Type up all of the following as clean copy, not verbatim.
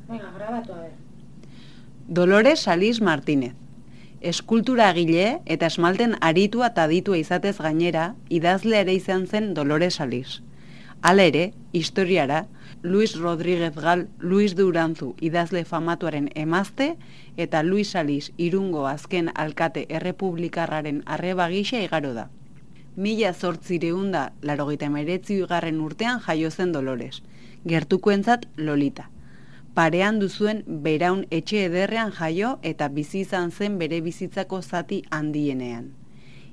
Venga, grabatu a ver. Dolores Salís Martínez. Eskulturagile eta esmalten aritua eta aditua izatez gainera, idazle ere izan zen Dolores Salís. Hala ere, historiara, Luis Rodríguez Gal, Luis de Uranzu idazle famatuaren emazte eta Luis Salís Irungo azken alkate errepublikarraren arreba gisa igaro da. 1889 urtean jaio zen Dolores, gertukoentzat Lolita. Parean duzuen Beraun etxe ederrean jaio eta bizi izan zen bere bizitzako zati handienean.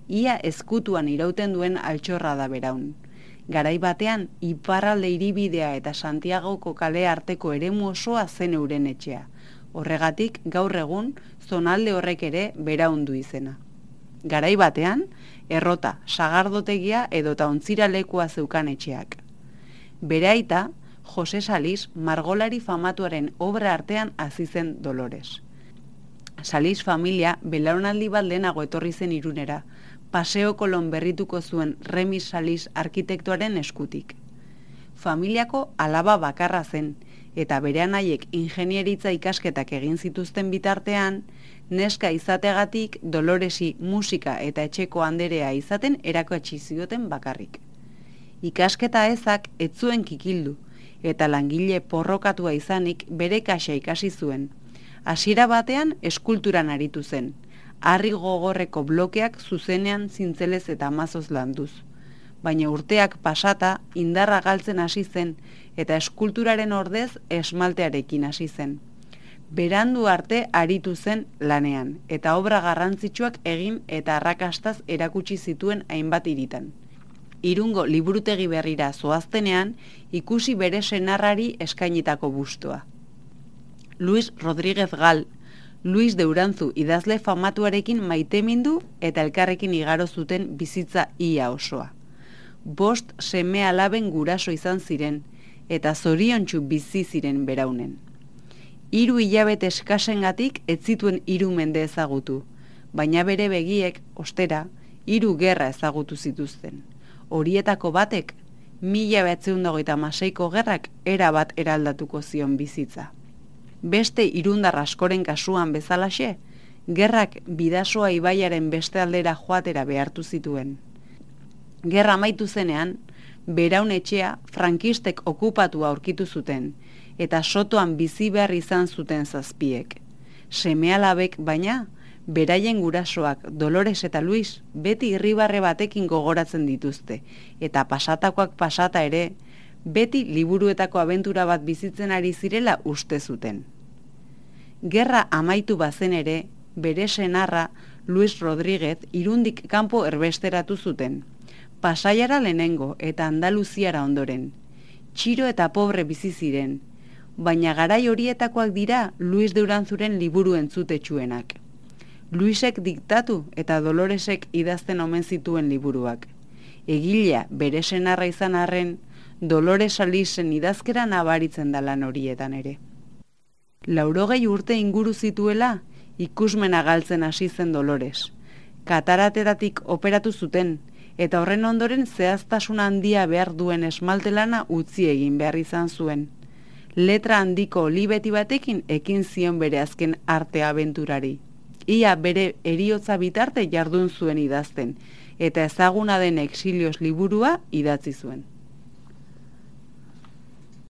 Ia ezkutuan irauten duen altxorra da Beraun. Garai batean, iparralde hiribidea eta Santiagoko kale arteko eremu osoa zen euren etxea. Horregatik, gaur egun, zonalde horrek ere Beraun du izena. Garai batean, errota, sagardotegia edota ontzira lekua zeukan etxeak. Bere aita, Jose Salís margolari famatuaren obra artean hasi zen Dolores. Salís familia belaunaldi bat lehenago etorri zen Irunera, Paseo Kolon berrituko zuen Remis Salís arkitektoaren eskutik. Familiako alaba bakarra zen, eta bere anaiek ingenieritza ikasketak egin zituzten bitartean, neska izateagatik Doloresi musika eta etxeko anderea izaten erakutsi zioten bakarrik. Ikasketa ezak ez zuen kikildu, eta langile porrokatua izanik bere kaxa ikasi zuen. Hasiera batean eskulturan aritu zen, harri gogorreko blokeak zuzenean zintzelez eta mazoz landuz. Baina urteak pasata indarra galtzen hasi zen eta eskulturaren ordez esmaltearekin hasi zen. Berandu arte aritu zen lanean eta obra garrantzitsuak egin eta arrakastaz erakutsi zituen hainbat hiritan. Irungo liburutegi berrira zoaztenean ikusi bere senarrari eskainitako bustoa. Luis Rodríguez Gal, Luis de Uranzu idazle famatuarekin maitemindu eta elkarrekin igaro zuten bizitza ia osoa. 5 seme alaben guraso izan ziren eta zoriontsu bizi ziren Beraunen. 3 hilabete eskasengatik ez zituen 3 mende ezagutu, baina bere begiek, ostera, 3 gerra ezagutu zituzten. Horietako batek, 1926ko gerrak erabat eraldatuko zion bizitza. Beste irundar askoren kasuan bezalaxe, gerrak Bidasoa ibaiaren beste aldera joatera behartu zituen. Gerra amaitu zenean, Beraun etxea frankistek okupatua aurkitu zuten, eta sotoan bizi behar izan zuten zazpiek. Seme-alabek baina, beraien gurasoak Dolores eta Luis beti irribarre batekin gogoratzen dituzte, eta pasatakoak pasata ere, beti liburuetako abentura bat bizitzen ari zirela uste zuten. Gerra amaitu bazen ere, bere senarra Luis Rodríguez Irundik kanpo erbesteratu zuten. Pasaiara lehenengo eta Andaluziara ondoren. Txiro eta pobre bizi ziren, baina garai horietakoak dira Luis de Uranzuren liburu entzutetsuenak. Luisek diktatu eta Doloresek idazten omen zituen liburuak. Egilea bere senarra izan arren, Dolores Salísen idazkera nabaritzen da lan horietan ere. 80 urte inguru zituela, ikusmena galtzen hasi zen Dolores. Kataratetatik operatu zuten, eta horren ondoren zehaztasun handia behar duen esmaltelana utzi egin behar izan zuen. Letra handiko olibeti batekin ekin zion bere azken arte abenturari. Ia bere heriotza bitarte jardun zuen idazten, eta ezaguna den Exilios liburua idatzi zuen.